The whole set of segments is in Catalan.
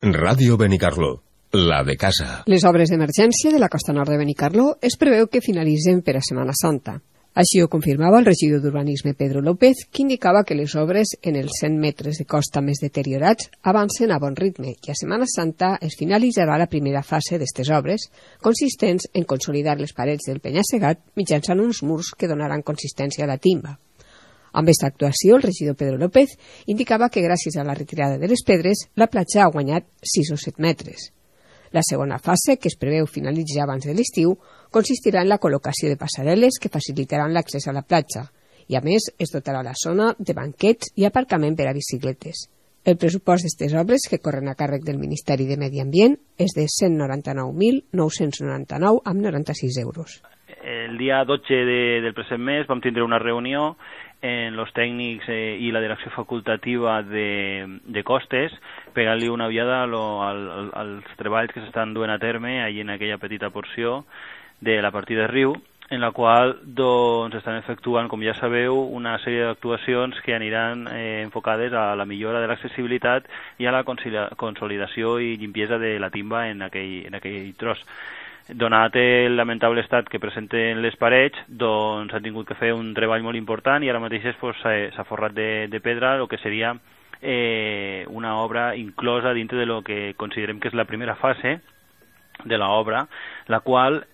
Ràdio Benicarló, la de casa. Les obres d'emergència de la costa nord de Benicarló es preveu que finalitzen per a Setmana Santa. Així ho confirmava el regidor d'Urbanisme Pedro López, que indicava que les obres en els 100 metres de costa més deteriorats avancen a bon ritme i a Setmana Santa es finalitzarà la primera fase d'aquestes obres, consistents en consolidar les parets del penya-segat mitjançant uns murs que donaran consistència a la timba. Amb aquesta actuació, el regidor Pedro López indicava que gràcies a la retirada de les pedres, la platja ha guanyat 6 o 7 metres. La segona fase, que es preveu finalitzar abans de l'estiu, consistirà en la col·locació de passarel·les que facilitaran l'accés a la platja i, a més, es dotarà la zona de banquets i aparcament per a bicicletes. El pressupost d'aquestes obres, que corren a càrrec del Ministeri de Medi Ambient, és de 199.999 amb 96 euros. El dia 12 del present mes vam tindre una reunió en els tècnics i la direcció facultativa de costes, pegant-li una ullada als treballs que s'estan duent a terme allà en aquella petita porció de la partida de riu, en la qual estan efectuant, com ja sabeu, una sèrie d'actuacions que aniran enfocades a la millora de l'accessibilitat i a la consolidació i limpiesa de la timba en aquell tros. Donat el lamentable estat que presenten les parets, doncs han tingut que fer un treball molt important i ara mateix s'ha forrat de pedra el que seria una obra inclosa dintre de lo que considerem que és la primera fase de l'obra, la qual,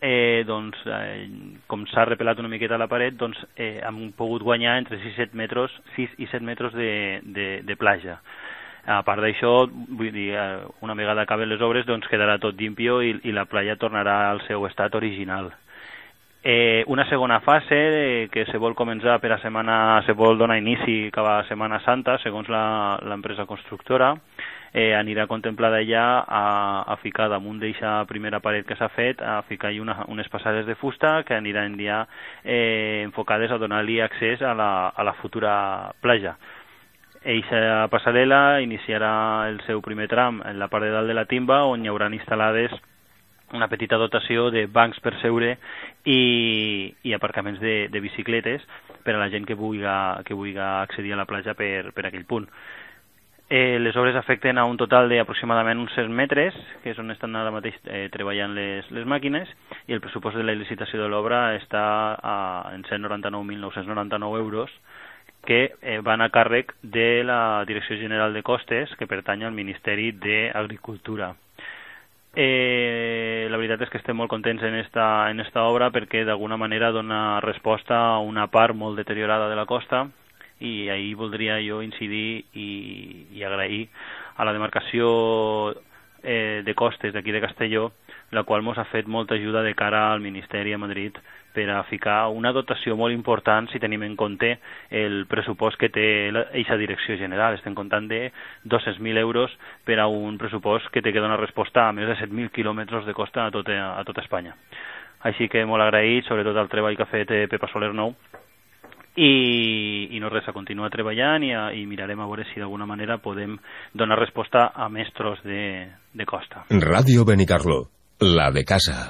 com s'ha repelat una miqueta a la paret, hem pogut guanyar entre 6 i 7 metres de platja. A part d'això, vull dir, una vegada acaben les obres, quedarà tot limpio i la platja tornarà al seu estat original. Una segona fase que se vol començar se vol donar inici cap a Setmana Santa, segons l'empresa constructora, anirà contemplada ja a ficar damunt d'aquesta primera paret que s'ha fet, a ficar-hi unes passades de fusta que aniran ja enfocades a donar-li accés a la futura platja. Eixa passarel·la iniciarà el seu primer tram en la part de dalt de la timba, on hi hauran instal·lades una petita dotació de bancs per seure i aparcaments de bicicletes per a la gent que vulgui accedir a la platja per aquell punt. Les obres afecten a un total d'aproximadament uns 100 metres, que és on estan ara mateix treballant les màquines, i el pressupost de la licitació de l'obra està en 199.999 euros, que van a càrrec de la Direcció General de Costes, que pertany al Ministeri d'Agricultura. La veritat és que estem molt contents en esta obra perquè d'alguna manera dona resposta a una part molt deteriorada de la costa i ahir voldria jo incidir i agrair a la demarcació de costes d'aquí de Castelló, la qual ens ha fet molta ajuda de cara al Ministeri a Madrid per a ficar una dotació molt important si tenim en compte el pressupost que té aquesta direcció general. Estem comptant de 200.000 euros per a un pressupost que té que donar resposta a més de 7.000 quilòmetres de costa a tota Espanya. Així que molt agraït, sobretot al treball que ha fet Pepa Soler Nou, i no res, a continuar treballant i mirarem a veure si d'alguna manera podem donar resposta a més tros de costa. Ràdio Benicarló, la de casa.